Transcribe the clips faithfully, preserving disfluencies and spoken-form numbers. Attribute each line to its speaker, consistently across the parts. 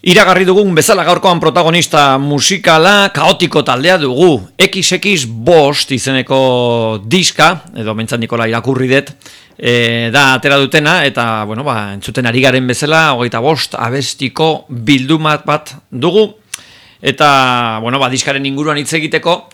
Speaker 1: Iragarri dugun bezala gaurkoan protagonista musikala kaotiko taldea dugu. ekiz ekiz bost izeneko diska, edo mentzat Nikola irakurri dut, e, da atera dutena, eta bueno, ba, entzuten ari garen bezala, hogeita bost abestiko bildumat bat dugu, eta bueno, ba, diskaren inguruan hitz egiteko,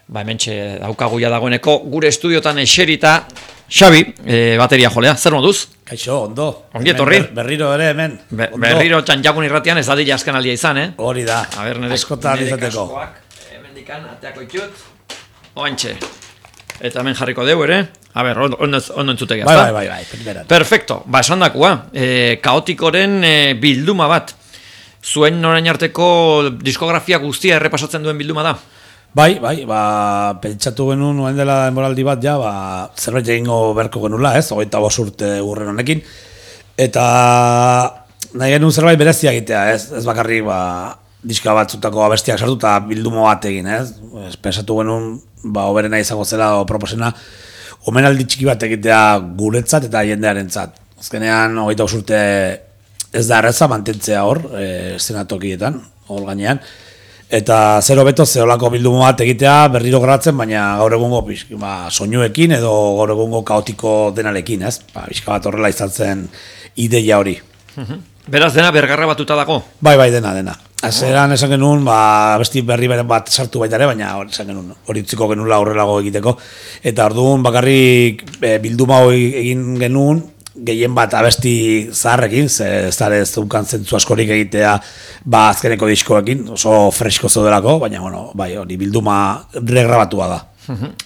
Speaker 1: ba, hementxe daukagu ja dagoeneko gure estudiotan eserita, Xabi, e, bateria jolea, zer moduz?
Speaker 2: Kaixo, ondo.
Speaker 1: Ongi etorri.
Speaker 2: Ber, berriro ere hemen.
Speaker 1: Be, berriro txantxakun irratian ez dadila azken aldia izan, eh?
Speaker 2: Hori da.
Speaker 1: A ber, nire,
Speaker 2: askotan
Speaker 1: nire
Speaker 2: izateko.
Speaker 1: kaskoak, hemendikan ateako itxut. Oantxe. Eta hemen jarriko deu ere. A ber, ondo, ondo, ondo entzutek,
Speaker 2: Bai, bai, bai, bai, primeran.
Speaker 1: Perfecto. Ba, esan dakua. E, kaotikoren e, bilduma bat. Zuen orain arteko diskografia guztia errepasatzen duen bilduma da.
Speaker 2: Bai, bai, ba, pentsatu genuen nuen dela denboraldi bat, ja, ba, zerbait egingo beharko genula, ez, hogeita bost urte urren honekin, eta nahi genuen zerbait berezia egitea, ez, ez bakarrik, ba, diska batzutako abestiak sartu eta bildumo bat egin, ez, ez pensatu genuen, ba, oberena izango zela, o proposena, omenaldi txiki bat egitea guretzat eta jendearentzat. Azkenean, hogeita bost urte ez da erreza mantentzea hor, e, eszenatokietan, hor gainean, eta zero beto zeolako bildumo bat egitea berriro gratzen, baina gaur egungo ba, soinuekin edo gaur egungo kaotiko denarekin, ez? Ba, bizka bat horrela izan zen ideia hori.
Speaker 1: Beraz dena bergarra batuta dago?
Speaker 2: Bai, bai, dena, dena. Azeran esan genuen, ba, besti berri beren bat sartu baita ere, baina esan genuen, hori utziko genula horrelago egiteko. Eta orduan bakarrik e, bilduma hori egin genuen, gehien bat abesti zaharrekin, ze ez da ez dunkan zentzu askorik egitea ba azkeneko diskoekin, oso fresko zeudelako, baina bueno, bai, hori bilduma regrabatua da.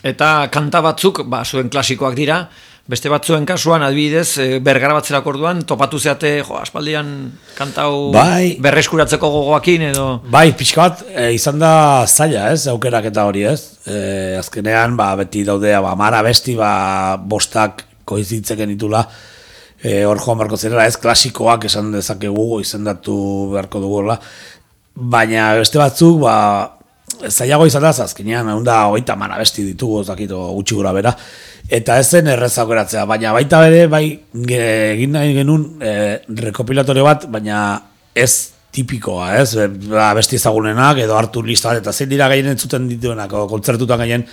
Speaker 1: Eta kanta batzuk, ba, zuen klasikoak dira, beste batzuen kasuan, adibidez, bergarabatzerako orduan, topatu zeate, jo, aspaldian kantau
Speaker 2: bai,
Speaker 1: berreskuratzeko gogoakin edo...
Speaker 2: Bai, pixka bat, e, izan da zaila, ez, aukerak eta hori, ez. E, azkenean, ba, beti daudea, ba, mara besti, ba, bostak koizitzeken itula, E, hor joan beharko zirela, ez klasikoak esan dezakegu izendatu beharko dugula, baina beste batzuk, ba, zailago izan da, azkenean, egun da, hogeita mara besti ditugu, zakito gutxi gura bera, eta ez zen erreza aukeratzea, baina baita bere, bai, egin nahi genuen e, rekopilatorio bat, baina ez tipikoa, ez, ba, besti ezagunenak, edo hartu lista bat, eta zein dira gaien entzuten dituenak, o kontzertutan gaien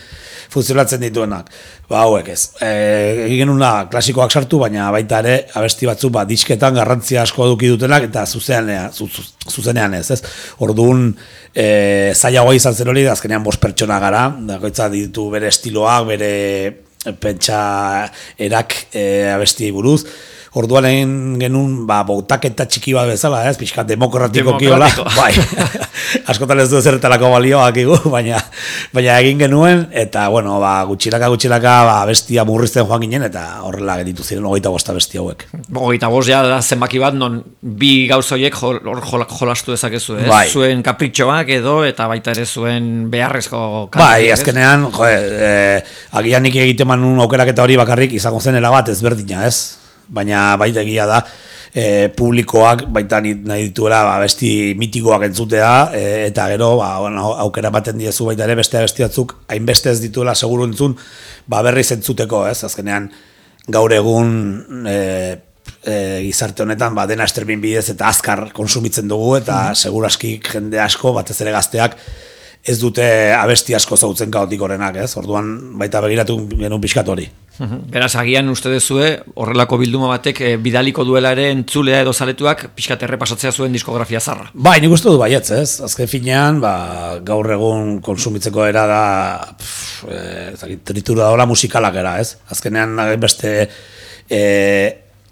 Speaker 2: funtzionatzen dituenak, ba hauek ez. E, egin genuen da, klasikoak sartu, baina baita ere, abesti batzu, ba, disketan garrantzia asko eduki dutenak, eta zuzenean, zu, zu, zuzenean ez, ez. Orduan, e, zailagoa izan zen hori, azkenean bost pertsona gara, dagoitza ditu bere estiloak, bere pentsa erak e, abesti buruz. Orduan egin genuen, ba, bautaketa txiki bat bezala, ez, pixka demokratiko kiola, bai, askotan ez du zerretarako balioak igu, baina, baina egin genuen, eta, bueno, ba, gutxilaka, gutxilaka, ba, bestia murrizten joan ginen, eta horrela geditu ziren hogeita bosta bestia hauek.
Speaker 1: Hogeita bost ja da zenbaki bat, non bi gauzoiek hor jol, jol, jolastu dezakezu, ez?
Speaker 2: Bai.
Speaker 1: Zuen kapritxoak edo, eta baita ere zuen beharrezko kantak.
Speaker 2: Bai, azkenean, jo, e, agian nik egiten manun aukeraketa hori bakarrik izango zen erabat ezberdina, ez? Baina baita egia da, e, publikoak baita nahi dituela ba, besti mitikoak entzutea, e, eta gero ba, bueno, aukera baten diezu baita ere beste besti batzuk hainbeste ez dituela seguru entzun, ba, berriz entzuteko, ez? Azkenean gaur egun e, e, gizarte honetan ba, dena streaming bidez eta azkar konsumitzen dugu, eta mm. seguraski jende asko, batez ere gazteak, ez dute abesti asko zautzen kaotikorenak, ez? Orduan baita begiratu genuen pixkat hori.
Speaker 1: Beraz, agian uste dezue, horrelako bilduma batek e, bidaliko duela ere entzulea edo zaletuak pixkat errepasatzea zuen diskografia zarra.
Speaker 2: Bai, nik uste du baietz, ez? Azken finean, ba, gaur egun konsumitzeko era da, pff, e, tritura dola musikalak era, ez? Azkenean, beste e,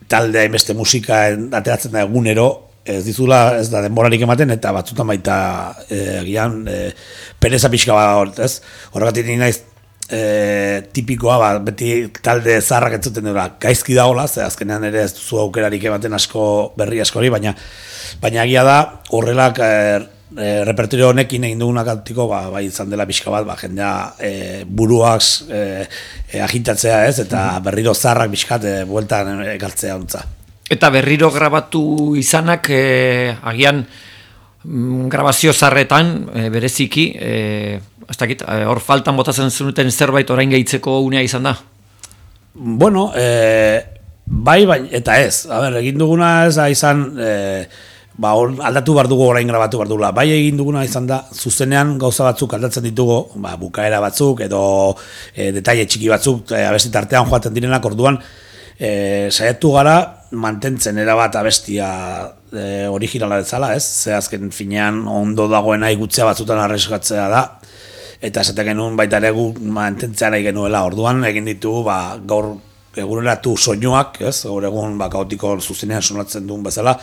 Speaker 2: talde, beste musika ateratzen da egunero, ez dizula, ez da denborarik ematen, eta batzutan baita egian e, pereza pixka bat hor, ez? Horregatik nire naiz e, tipikoa, ba, beti talde zaharrak entzuten dira, gaizki dagoela, ze azkenean ere ez duzu aukerarik ematen asko berri askori, baina baina egia da, horrelak e, e, repertorio honekin egin dugunak altiko, ba, bai izan dela pixka bat, ba, jendea e, buruak e, e, agitatzea, ez? Eta berriro zaharrak pixkat e, bueltan ekartzea ontza.
Speaker 1: Eta berriro grabatu izanak, e, agian mm, grabazio zarretan, e, bereziki, e, hor faltan botatzen zenuten zerbait orain gehitzeko unea izan da?
Speaker 2: Bueno, e, bai, bai, eta ez. A ber, egin duguna ez da izan, e, ba, or, aldatu behar dugu orain grabatu behar dugula. Bai egin duguna izan da, zuzenean gauza batzuk aldatzen ditugu, ba, bukaera batzuk edo e, detaile txiki batzuk, e, abesti tartean joaten direnak orduan, e, saiatu gara mantentzen erabat abestia e, originala bezala, ez? Ze azken finean ondo dagoena igutzea batzutan arreskatzea da, eta esaten genuen baita ere gu mantentzea nahi genuela. Orduan egin ditugu, ba, gaur eguneratu soinuak, ez? Gaur egun ba, kaotiko zuzenean sonatzen duen bezala,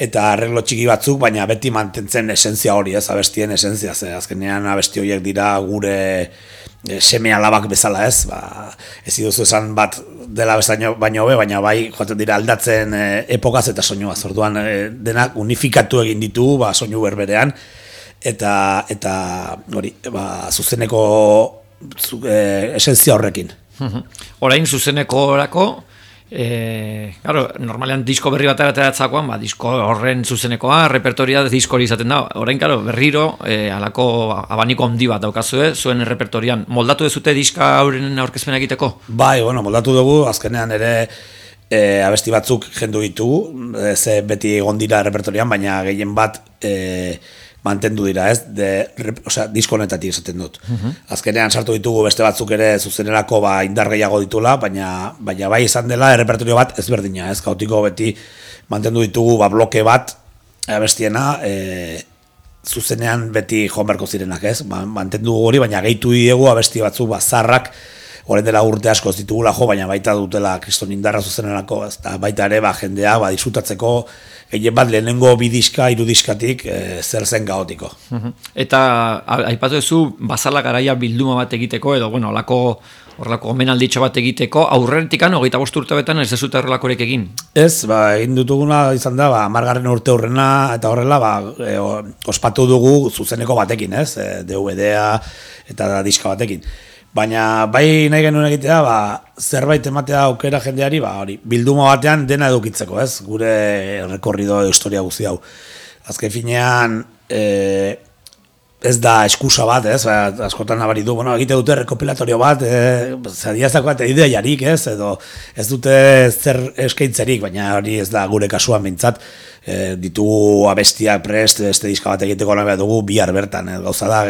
Speaker 2: eta arreglo txiki batzuk, baina beti mantentzen esentzia hori, ez, abestien esentzia, ze azkenean abesti horiek dira gure e, seme alabak bezala, ez, ba, ez iduzu esan bat dela bezaino baino hobe, baina bai joaten dira aldatzen e, epokaz eta soinuaz, orduan e, denak unifikatu egin ditu, ba, soinu berberean, eta, eta hori, ba, zuzeneko zu, e, esentzia horrekin.
Speaker 1: Orain zuzeneko orako, E, claro, normalean disko berri bat ateratzakoan, ba, disko horren zuzenekoa, repertoria disko hori izaten da. Orain, claro, berriro, e, alako abaniko handi bat daukazue, zuen repertorian. Moldatu dezute diska hauren aurkezpena egiteko?
Speaker 2: Bai, bueno, moldatu dugu, azkenean ere e, abesti batzuk jendu ditugu, e, ze beti egon dira repertorian, baina gehien bat e, mantendu dira, ez? De, rep, osea, disko honetatik esaten dut. Uh-huh. Azkenean sartu ditugu beste batzuk ere zuzenerako ba, indar gehiago ditula, baina, baina bai izan dela errepertorio bat ezberdina, ez? Kaotiko beti mantendu ditugu ba, bloke bat abestiena, e, zuzenean beti joan beharko zirenak, ez? Ba, mantendu hori, baina gehitu diegu abesti batzuk ba, zarrak, orain dela urte asko ez ditugula jo, baina baita dutela kriston indarra zuzenerako, ez? Ta baita ere ba, jendea ba, disfrutatzeko gehien bat lehenengo bidiska, irudiskatik e, zer zen kaotiko.
Speaker 1: Eta aipatu duzu bazala garaia bilduma bat egiteko, edo bueno, horlako horrelako omenalditxo bat egiteko, aurrentikan hogeita bost urte betan ez dezute horrelakorek egin? Ez,
Speaker 2: ba, egin dutuguna izan da, ba, margarren urte horrena eta horrela, ba, e, ospatu dugu zuzeneko batekin, ez? E, D V D-a eta diska batekin. Baina bai nahi genuen egitea, ba, zerbait ematea aukera jendeari, ba, hori, bilduma batean dena edukitzeko, ez? Gure rekorrido historia guzti hau. Azken finean, e, ez da eskusa bat, ez? Ba, askotan nabari du, bueno, egite dute rekopilatorio bat, e, zadiazako bat ideiarik, ez? Edo ez dute zer eskaintzerik, baina hori ez da gure kasuan behintzat. E, ditugu abestiak prest, este diska bat egiteko nahi dugu bihar bertan, e, gauza da,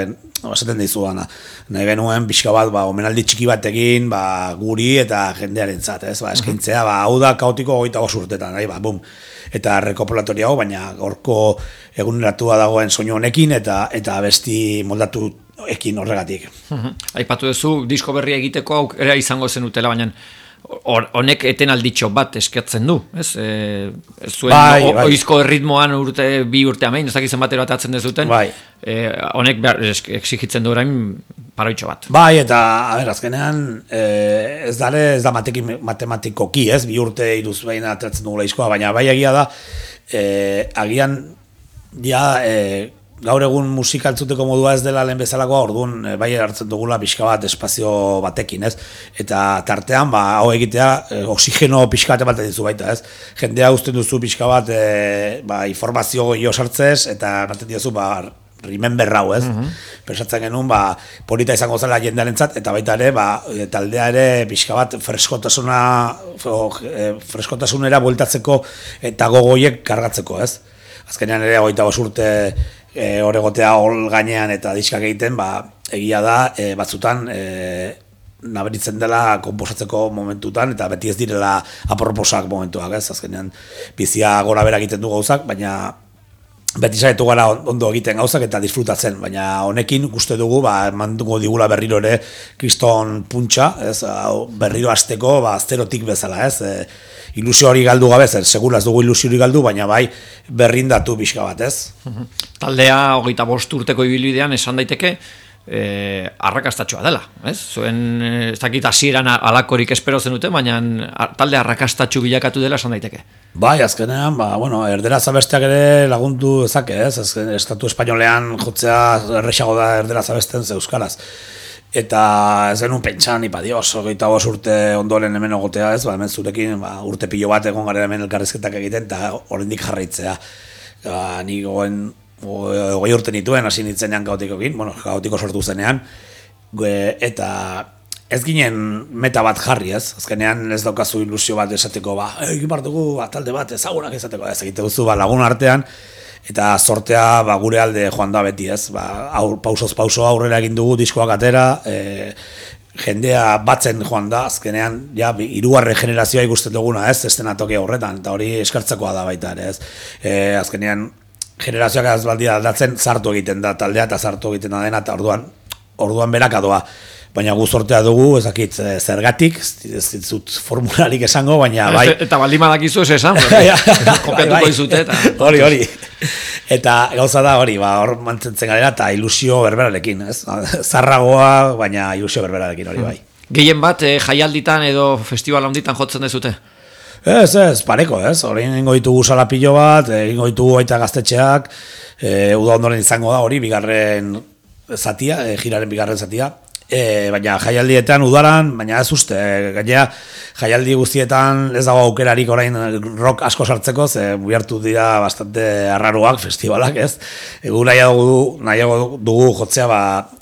Speaker 2: esaten dizu dana. Nahi genuen pixka bat, ba, omenaldi txiki bat egin, ba, guri eta jendearentzat, ez? Ba, eskaintzea, ba, hau da kaotiko hogeita bost urtetan, nahi, ba, bum. Eta rekopilatorio hau, baina gorko eguneratua dagoen soinu honekin eta eta abesti moldatu ekin horregatik.
Speaker 1: Aipatu duzu, disko berria egiteko aukera izango zenutela, baina honek eten alditxo bat eskatzen du, ez? E, zuen bai, o, bai. Oizko ritmoan urte, bi urte amein, ez dakizen batero atatzen dezuten, bai. E, honek behar, exigitzen du orain paroitxo bat.
Speaker 2: Bai, eta, a ber, azkenean, e, ez dare, ez da matekin, matematikoki, ez? Bi urte iruz behin atatzen dugula izkoa, baina bai egia da, e, agian, ja, e, gaur egun musika entzuteko modua ez dela lehen bezalakoa, orduan e, bai hartzen dugula pixka bat espazio batekin, ez? Eta tartean, ba, hau egitea, e, oxigeno pixka bat ematen dizu baita, ez? Jendea usten duzu pixka bat, e, ba, informazio gehiago sartzez, eta ematen dizu, ba, remember hau, ez? Uh-huh. Pensatzen genuen, ba, polita izango zela jendearentzat, eta baita ere, ba, taldea ere pixka bat freskotasuna, e, freskotasunera bueltatzeko eta gogoiek kargatzeko, ez? Azkenean ere, hogeita bost urte E, horregotea hol gainean eta diskak egiten, ba, egia da, e, batzutan e, naberitzen dela konposatzeko momentutan, eta beti ez direla aproposak momentuak, ez? Azkenean bizia gora bera egiten du gauzak, baina beti saietu gara ondo egiten gauzak eta disfrutatzen, baina honekin uste dugu, ba, emanduko digula berriro ere kriston puntxa, ez? Berriro hasteko, ba, zerotik bezala, ez? E, ilusio hori galdu gabe, zer, segura ez dugu ilusio hori galdu, baina bai berrindatu pixka bat, ez?
Speaker 1: Taldea hogeita bost urteko ibilbidean esan daiteke e, arrakastatxoa dela, ez? Zuen, ez dakit hasieran alakorik espero zenuten, baina talde arrakastatxu bilakatu dela esan daiteke.
Speaker 2: Bai, azkenean, ba, bueno, erderaz abesteak ere lagundu ezake, ez? Azken, estatu espainolean jotzea errexago da erderaz abesten ze euskaraz. Eta ez genuen pentsan, ipa dios, hogeita bost urte ondoren hemen egotea, ez, ba, hemen zurekin ba, urte pilo bat egon garen hemen elkarrizketak egiten, eta oraindik jarraitzea. Ba, ni goen, hogei urte nituen, hasi nitzenean kaotikokin, bueno, kaotiko sortu zenean, eta ez ginen meta bat jarri, ez? Azkenean ez daukazu ilusio bat esateko, ba, egin bar dugu ba, talde bat ezagunak esateko, ez egite duzu ba, lagun artean, eta sortea ba, gure alde joan da beti, ez? Ba, aur, pausoz pauso aurrera egin dugu diskoak atera, e, jendea batzen joan da, azkenean, ja, hirugarren generazioa ikusten duguna, ez? Estenatoki horretan, eta hori eskartzekoa da baita ere, ez? E, azkenean, generazioak ez baldia aldatzen, sartu egiten da taldea, eta sartu egiten da dena, eta orduan, orduan berakadoa. Baina gu sortea dugu, ezakit zergatik, ez ditut formularik esango, baina bai...
Speaker 1: Eta baldin badakizu ez esan, kopiatuko izute, eta...
Speaker 2: Hori, hori. Eta gauza da hori, ba, hor mantzentzen garela, eta ilusio berberarekin, ez? Zarragoa, baina ilusio berberarekin hori bai.
Speaker 1: Gehien bat, eh, jaialditan edo festival handitan jotzen dezute?
Speaker 2: Ez, ez, pareko, ez? Hori ingo ditugu salapillo bat, ingo ditugu baita gaztetxeak, e, uda ondoren izango da hori, bigarren zatia, e, jiraren bigarren zatia, E, baina jaialdietan udaran, baina ez uste, e, gainera jaialdi guztietan ez dago aukerarik orain rock asko sartzeko, ze bihartu dira bastante arraruak festivalak, ez? Egu nahiago dugu, nahiago dugu jotzea ba,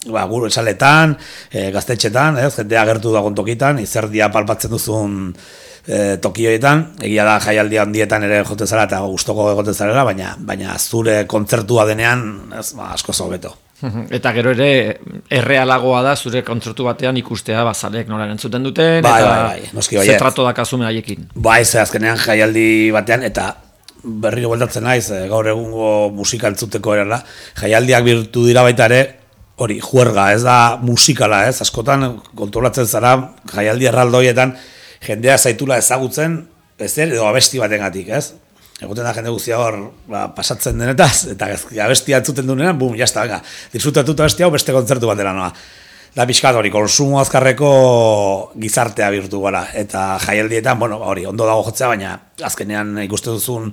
Speaker 2: ba, gure esaletan, e, gaztetxetan, ez? Jendea agertu dagoen tokitan, izerdia palpatzen duzun e, tokioetan, egia da jaialdi handietan ere jote zara eta gustoko egote zarela, baina, baina zure kontzertua denean ez, ba, asko hobeto.
Speaker 1: Eta gero ere errealagoa da zure kontzertu batean ikustea bazalek nola entzuten duten,
Speaker 2: bai,
Speaker 1: eta
Speaker 2: bai, bai, noski, bai,
Speaker 1: ze trato dakazume haiekin.
Speaker 2: Bai, ze azkenean jaialdi batean, eta berriro bueltatzen naiz, gaur egungo musika entzuteko erala, jaialdiak birtu dira baita ere, hori, juerga, ez da musikala, ez, askotan kontrolatzen zara jaialdi erraldoietan, jendea zaitula ezagutzen, ez er, edo abesti batengatik, ez? Egoten da jende guztia hor ba, pasatzen denetaz, eta abestia entzuten duenean, bum, jazta, venga, disfrutatuta abestia hau beste kontzertu batera noa. Da pixkat hori, konsumo azkarreko gizartea bihurtu gara, eta jaialdietan, bueno, hori, ondo dago jotzea, baina azkenean ikusten duzun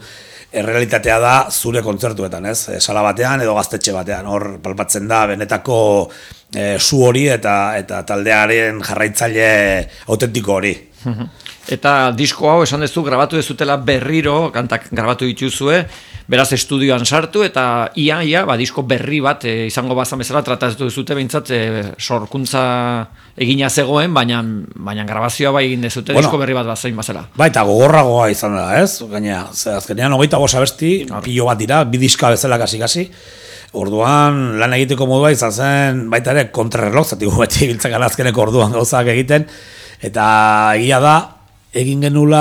Speaker 2: errealitatea da zure kontzertuetan, ez? Sala batean edo gaztetxe batean, hor palpatzen da benetako e, su hori eta, eta taldearen jarraitzaile autentiko hori.
Speaker 1: Eta disko hau esan dezu grabatu dezutela berriro, kantak grabatu dituzue, beraz estudioan sartu eta ia, ia, ba, disko berri bat e, izango bazan bezala tratatu dezute behintzat e, sorkuntza egina zegoen, baina, baina grabazioa bai egin dezute, bueno, disko berri bat bazain bazela.
Speaker 2: Bai, eta gogorragoa izan da, ez? Gainea, azkenean hogeita bost abesti, pilo bat dira, bi diska bezala kasi-kasi, orduan lan egiteko modua izan zen, baita ere kontrarreloj, zati beti biltzak azkeneko orduan gauzak egiten, eta egia da, egin genula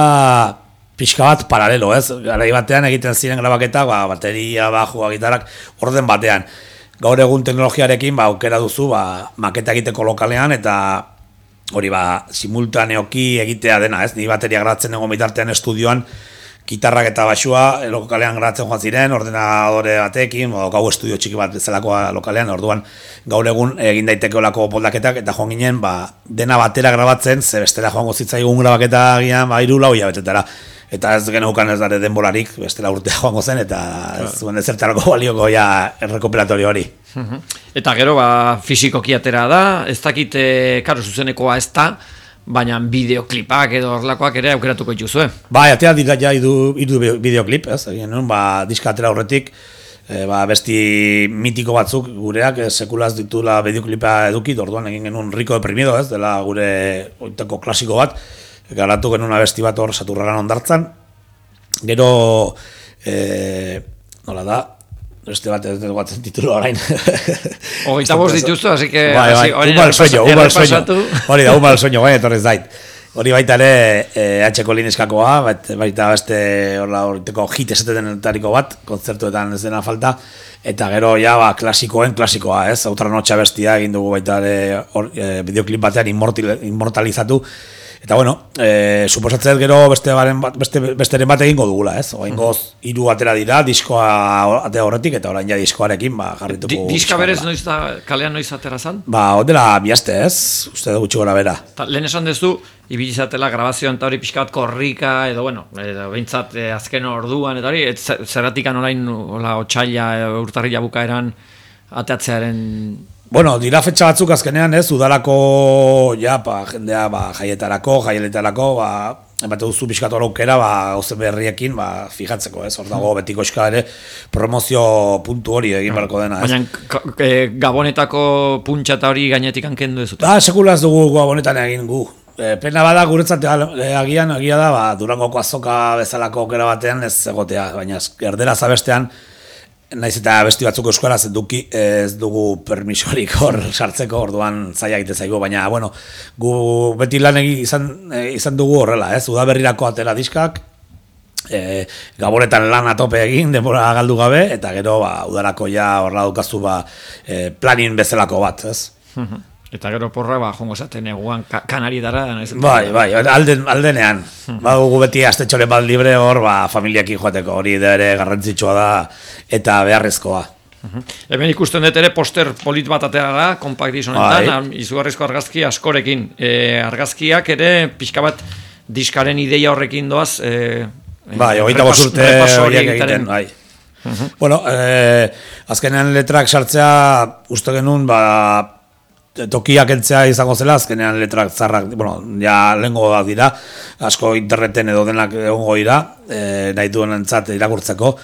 Speaker 2: pixka bat paralelo, ez? Garai batean egiten ziren grabaketa, ba, bateria, bajua, gitarrak, orden batean. Gaur egun teknologiarekin ba, aukera duzu ba, maketa egiteko lokalean, eta hori ba, simultaneoki egitea dena, ez? Ni bateria grabatzen egon bitartean estudioan, gitarrak eta baxua lokalean grabatzen joan ziren, ordenadore batekin, o, gau estudio txiki bat bezalakoa lokalean, orduan gaur egun egin daiteke olako poldaketak, eta joan ginen, ba, dena batera grabatzen, ze bestela joango zitzaigun grabaketa gian, ba, iru lau hilabetetara. Eta ez geneukan ez dara denbolarik, bestela urtea joango zen, eta ez zuen ezertarako balioko ja errekoperatorio hori.
Speaker 1: Eta gero, ba, fisikoki atera da, ez dakit, karo, zuzenekoa ez da, baina bideoklipak edo horlakoak ere aukeratuko dituzue.
Speaker 2: Bai, atea dira ja idu, idu bideoklip, ez? Egin nun, ba, diska atera horretik, e, ba, besti mitiko batzuk gureak e, sekulaz ditula bideoklipa edukit, orduan egin genuen Rico Deprimido, ez? Dela gure oiteko klasiko bat, garatu genuen abesti bat hor Saturraran ondartzan. Gero, e, nola da, este bat ez dugu batzen titulu orain.
Speaker 1: Hogeita bost dituztu, así que...
Speaker 2: Bai, bai, un mal sueño, un mal sueño. Hori da, un mal sueño, bai, etorrez dait. Hori baita ere, eh, H-ko lineskakoa, baita beste horreteko hit esatetenetariko bat, kontzertuetan ez dena falta, eta gero, ja, ba, klasikoen klasikoa, ez? Outra notxa bestia egin dugu baita ere eh, bideoklip batean inmortalizatu. Eta bueno, eh, suposatzen gero beste baren bat, beste besteren bat egingo dugula, ez? Oraingoz hiru atera dira, diskoa atea horretik eta orain ja diskoarekin ba jarrituko.
Speaker 1: Di, diska berez noiz da kalean noiz atera zan?
Speaker 2: Ba, ondela bi aste, ez? Uste da gutxi gora bera.
Speaker 1: Ta, lehen esan duzu ibili izatela grabazioan ta hori pixka bat korrika edo bueno, edo behintzat eh, azken orduan eta hori zerratikan orain hola otsaila urtarrila bukaeran ateatzearen.
Speaker 2: Bueno, dira fetxa batzuk azkenean, ez, udalako, ja, pa, jendea, ba, jaietarako, jaieletarako, ba, emate duzu pixkat aukera, ba, gauzen berriekin, ba, fijatzeko, ez? Hor dago betiko eska ere promozio puntu hori egin beharko dena, ez?
Speaker 1: Baina e, Gabonetako puntxa eta hori gainetik hankendu ez dut?
Speaker 2: Ah, sekula ez dugu Gabonetan egin gu. E, pena bada guretzat e, agian, agia da, ba, Durangoko azoka bezalako aukera batean ez egotea, baina erderaz abestean, naiz eta besti batzuk euskaraz eduki ez dugu permisorik hor sartzeko, orduan zaila egite zaigu, baina, bueno, gu beti lan egi izan, izan dugu horrela, ez? Udaberrirako atera diskak, e, Gabonetan lan atope egin, denbora galdu gabe, eta gero, ba, udarako ja horrela dukazu, ba, e, planin bezalako bat, ez?
Speaker 1: Eta gero porra, ba, jongo zaten eguan kanari dara.
Speaker 2: Bai, bai, alden, aldenean. Ba, gu beti astetxore bat libre hor, ba, familiakin joateko, hori da ere garrantzitsua da, eta beharrezkoa.
Speaker 1: Hemen ikusten dut ere poster polit bat atera da, kompakt dizonetan, izugarrizko argazki askorekin. E, argazkiak ere, pixka bat diskaren ideia horrekin doaz. E,
Speaker 2: bai, hogeita bost urte horiek egiten, bai. Bueno, e, azkenean letrak sartzea, uste genuen, ba, tokiak entzea izango zela, azkenean letrak zarrak, bueno, ja lehengo da dira, asko interneten edo denak egongo dira, e, nahi duen entzat irakurtzeko.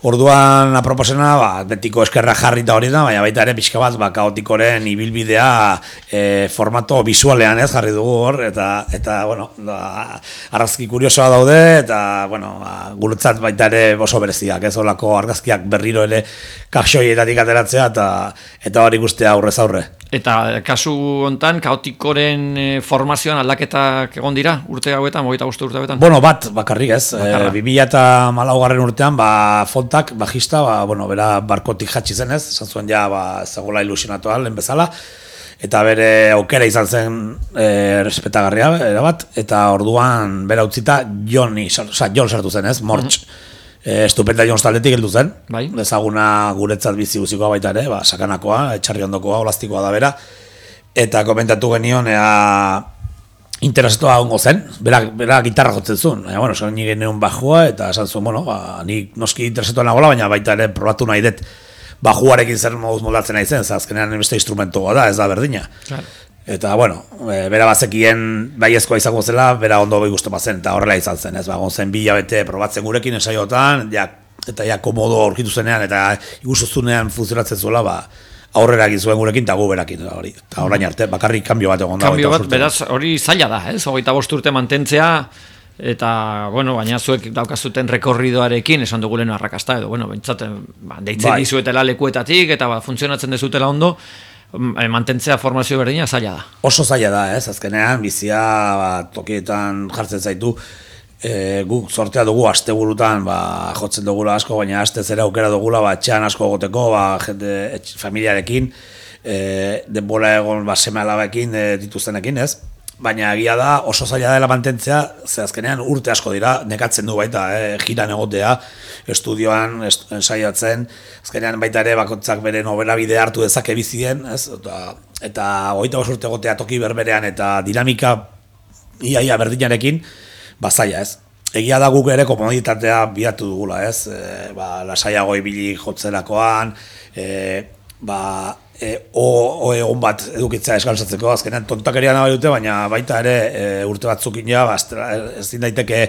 Speaker 2: Orduan aproposena, ba, betiko eskerra jarrita hori da, baina baita ere pixka bat, ba, kaotikoren ibilbidea e, formato visualean ez jarri dugu hor, eta, eta bueno, da, argazki kuriosoa daude, eta, bueno, ba, guretzat baita ere oso bereziak, ez olako argazkiak berriro ere kaxoietatik ateratzea, eta, eta hori guztia aurrez aurre.
Speaker 1: Eta kasu hontan, kaotikoren e, formazioan aldaketak egon dira, urte hauetan, hogeita bost urte hauetan?
Speaker 2: Bueno, bat, bakarrik ez, e, bi mila eta hamalaugarren urtean, ba, fontak, bajista, ba, bueno, bera barkotik jatsi zen ez, esan zuen ja, ba, zagola ilusionatua lehen bezala, eta bere aukera izan zen e, respetagarria, erabat, eta orduan bera utzita Joni, oza, Jon sartu zen ez, Mortx. Mm-hmm. E, estupenda Jons taldetik heldu zen, bai. Ezaguna guretzat bizi guzikoa baita ere, ba, sakanakoa, etxarri ondokoa, olastikoa da bera, eta komentatu genion, ea, interesatua ongo zen, bera, bera gitarra jotzen zuen, baina, bueno, esan nire neun bajua, eta esan zuen, bueno, ba, ni noski interesatua nagoela, baina baita ere probatu nahi dut bajuarekin zer moduz moldatzen nahi zen, azkenean beste instrumentua da, ez da berdina. Claro. Eta, bueno, e, bera bazekien baiezkoa izango zela, bera ondo bai guztu bazen, eta horrela izan zen, ez, ba, gontzen bi hilabete probatzen gurekin esaiotan, ja, eta ja komodo aurkitu zenean, eta ikusuzunean funtzionatzen zuela, ba, aurrera egin zuen gurekin, eta gu berakin, hori, eta orain arte, bakarrik kanbio bat egon da.
Speaker 1: Kanbio bat, beraz, hori zaila da, ez, hogeita bost urte mantentzea, eta, bueno, baina zuek daukazuten rekorridoarekin, esan dugulen arrakasta, edo, bueno, bentsaten, ba, deitzen bai. Dizuetela lekuetatik, eta ba, funtzionatzen dezutela ondo, mantentzea formazio berdina zaila da. Oso
Speaker 2: zaila da, ez, azkenean, bizia ba, tokietan jartzen zaitu, e, guk sortea dugu asteburutan, ba, jotzen dugula asko, baina aste zera aukera dugula, ba, etxean asko egoteko, ba, jende, etx, familiarekin, e, denbola egon, ba, seme alabekin, e, dituztenekin, ez? Baina egia da oso zaila dela mantentzea, ze azkenean urte asko dira, nekatzen du baita, eh, jiran egotea, estudioan, est, ensaiatzen, azkenean baita ere bakotzak bere nobela bide hartu dezake bizien, ez? Eta, eta hogeita bost urte egotea toki berberean eta dinamika iaia berdinarekin, bazaia, ez? Egia da guk ere komoditatea bilatu dugula, ez? E, ba, lasaiago ibili jotzerakoan, e, ba, E, o, o egon bat edukitzea eskalzatzeko, azkenean tontakeria nahi dute, baina baita ere e, urte batzukin ja, ba, ez din daiteke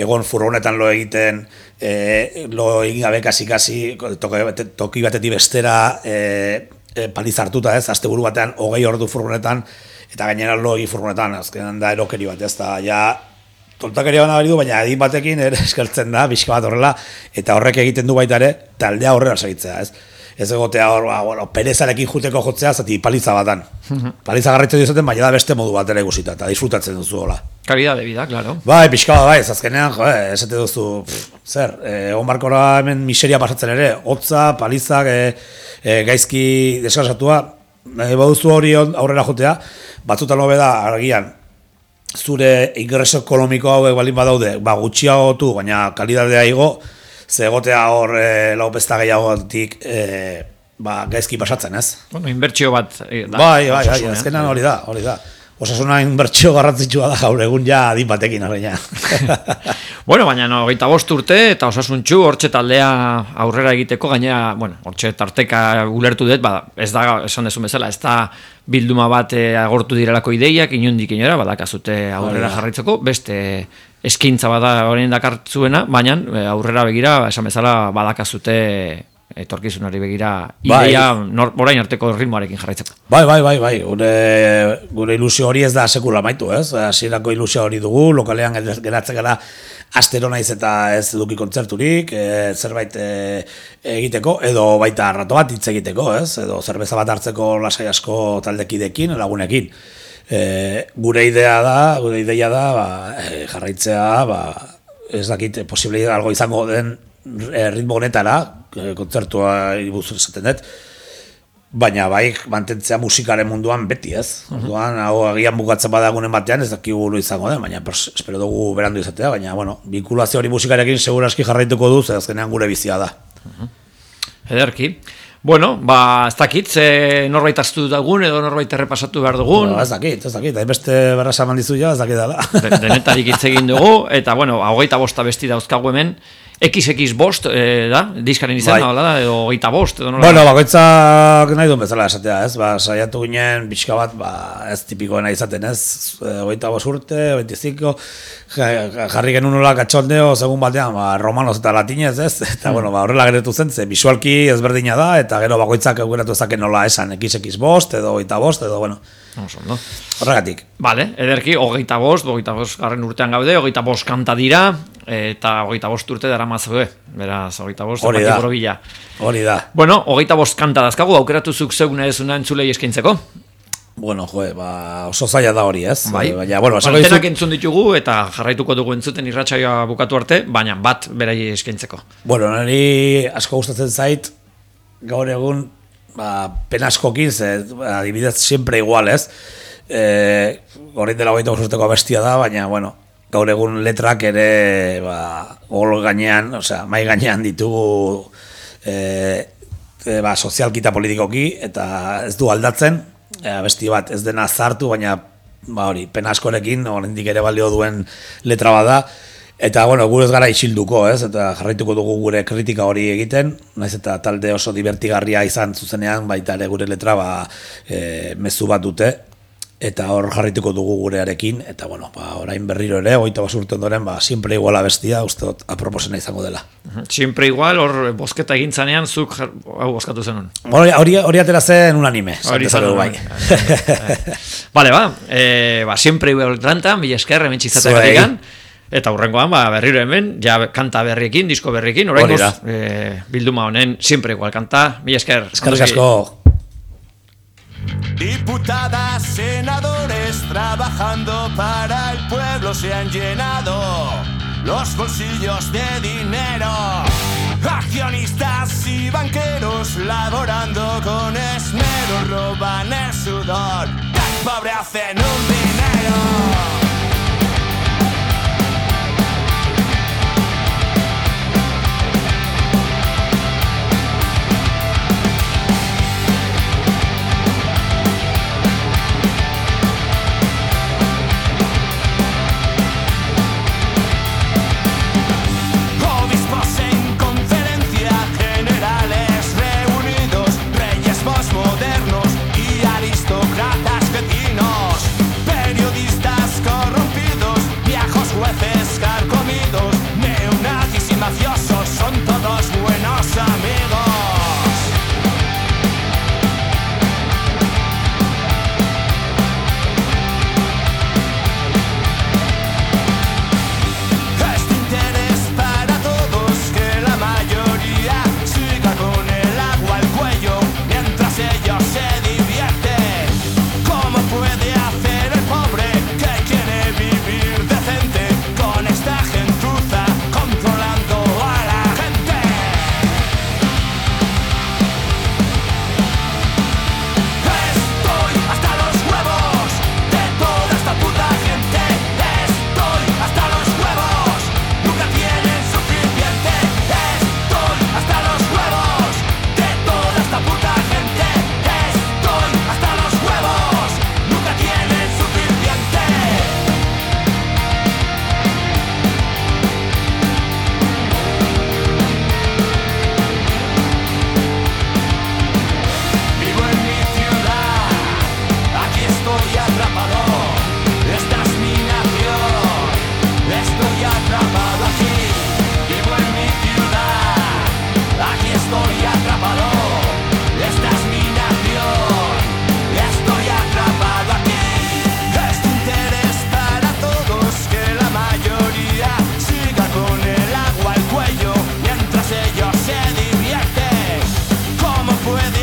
Speaker 2: egon furgonetan lo egiten, e, lo egin gabe kasi-kasi, toki, toki batetik bestera e, e, paliz hartuta ez, asteburu batean hogei ordu furgonetan, eta gainera lo egin furgonetan, azkenean da erokeri bat ez, da, ja, tontakeria bana bari du, baina edin batekin ere eskaltzen da, bizka bat horrela, eta horrek egiten du baita ere, taldea horrela segitzea ez. Ez egotea hor, ba, bueno, perezarekin juteko jotzea, zati paliza batan. Paliza garritzen diozaten, baina da beste modu bat ere guzita, eta disfrutatzen duzu hola.
Speaker 1: Kalidad de vida, claro.
Speaker 2: Bai, pixka bat, bai, azkenean, jo, eh, esate duzu, pff, zer, egon barkora hemen miseria pasatzen ere, hotza, palizak, e, e, gaizki deskansatua, e, baduzu hori aurrera jotea, batzutan hobe da, argian, zure ingreso ekonomiko hauek balin badaude, ba, gutxiagotu, baina kalidadea igo, ze egotea hor e, lau pesta gehiagotik e, ba, gaizki pasatzen, ez?
Speaker 1: Bueno, inbertsio bat e, da.
Speaker 2: Bai, bai, bai, azkenan hori da, hori da. Osasuna inbertsio garrantzitsua da gaur egun ja adin batekin horreina.
Speaker 1: Bueno, baina no, hogeita bost urte eta osasuntxu hortxe taldea aurrera egiteko, gainera, bueno, hortxe tarteka ulertu dut, ba, ez da, esan dezun bezala, ez da bilduma bat e, agortu direlako ideiak, inundik inora, badakazute aurrera jarraitzeko, beste eskintza bada horien dakartzuena, baina aurrera begira, esan bezala badakazute etorkizunari begira ideia bai. Orain arteko ritmoarekin jarraitzeko.
Speaker 2: Bai, bai, bai, bai. Gure, gure ilusio hori ez da sekula amaitu, ez? Hasierako ilusio hori dugu, lokalean geratzen gara astero naiz eta ez eduki kontzerturik, e, zerbait e, egiteko, edo baita rato bat hitz egiteko, ez? Edo zerbeza bat hartzeko lasai asko taldekidekin, lagunekin. E, gure idea da, gure ideia da, ba, e, jarraitzea, ba, ez dakit, posible algo izango den e, ritmo honetara, e, kontzertua ibuzur esaten dut, baina bai mantentzea musikaren munduan beti, ez? Orduan, hau agian bukatzen badagunen batean, ez dakigu lo izango den, baina pers, espero dugu berandu izatea, baina, bueno, vinkulazio hori musikarekin seguraski jarraituko du, ze azkenean gure bizia da.
Speaker 1: Ederki. Bueno, ba, ez dakit, ze norbait aztu dugun, edo norbait errepasatu behar dugun.
Speaker 2: Ba, ez dakit, ez dakit, hainbeste berrasa mandizu ja, ez dakit dela.
Speaker 1: Denetarik hitz egin dugu, eta, bueno, hogeita bosta besti dauzkagu hemen, ekiz ekiz bost, eh, da? Diskaren izan, bai. Da, edo hogeita bost, edo nola?
Speaker 2: Bueno, bakoitzak nahi duen bezala esatea, ez? Ba, saiatu ginen pixka bat, ba, ez tipikoena izaten, ez? Hogeita bost urte, hogeitiziko, jarri genuen nola katxondeo, segun batean, ba, romanos eta latinez, ez? Eta, mm. bueno, ba, horrela geretu zen, ze visualki ezberdina da, eta gero bakoitzak eugeratu ezaken nola esan, ekiz ekiz bost, edo hogeita bost, edo, bueno,
Speaker 1: no?
Speaker 2: Horregatik.
Speaker 1: Vale, ederki, hogeita bost, hogeita bost garren urtean gaude, hogeita bost kanta dira, eta hogeita bost urte dara mazue, beraz, hogeita bost,
Speaker 2: hori da,
Speaker 1: borobila.
Speaker 2: Hori da.
Speaker 1: Bueno, hogeita bost kanta dazkagu, aukeratu zuk zeuguna ezuna entzulei eskaintzeko?
Speaker 2: Bueno, joe, ba, oso zaila da hori, ez?
Speaker 1: Bai,
Speaker 2: baina, bueno,
Speaker 1: antenak entzun ditugu, eta jarraituko dugu entzuten irratsaioa bukatu arte, baina bat berai eskaintzeko.
Speaker 2: Bueno, niri asko gustatzen zait, gaur egun, ba, penaskokin, ze, adibidez, siempre igual, ez? E, Horrein dela hogeita bost urteko bestia da, baina, bueno, gaur egun letrak ere, ba, gol gainean, osea, mai gainean ditugu, e, e, ba, sozialki eta politikoki, eta ez du aldatzen, e, besti bat ez dena zartu, baina, ba, hori, penaskorekin, oraindik ere balio duen letra bat da, eta, bueno, gure ez gara isilduko, ez? Eta jarraituko dugu gure kritika hori egiten, naiz eta talde oso divertigarria izan zuzenean, baita ere gure letra, ba, e, mezu bat dute, eta hor jarraituko dugu gurearekin, eta, bueno, ba, orain berriro ere, hogeita bost urte ondoren, ba, siempre iguala bestia, uste dut, aproposena izango dela.
Speaker 1: Siempre igual, hor bosketa egin zanean, zuk hau boskatu zenun.
Speaker 2: Hori, hori atera zen unanime.
Speaker 1: Hori zen bai. Vale, ba, e, ba, siempre igual trantan, bila esker, hemen txizatak egan, eta hurrengoan, ba, berriro hemen, ja kanta berriekin, disko berriekin, orain goz, e, bilduma honen, siempre igual kanta, bila esker.
Speaker 2: Eskerrik asko.
Speaker 3: Diputadas, senadores trabajando para el pueblo se han llenado los bolsillos de dinero. Accionistas y banqueros laborando con esmero roban el sudor del pobre, hacen un dinero. Modernos y aristócratas vecinos, periodistas puede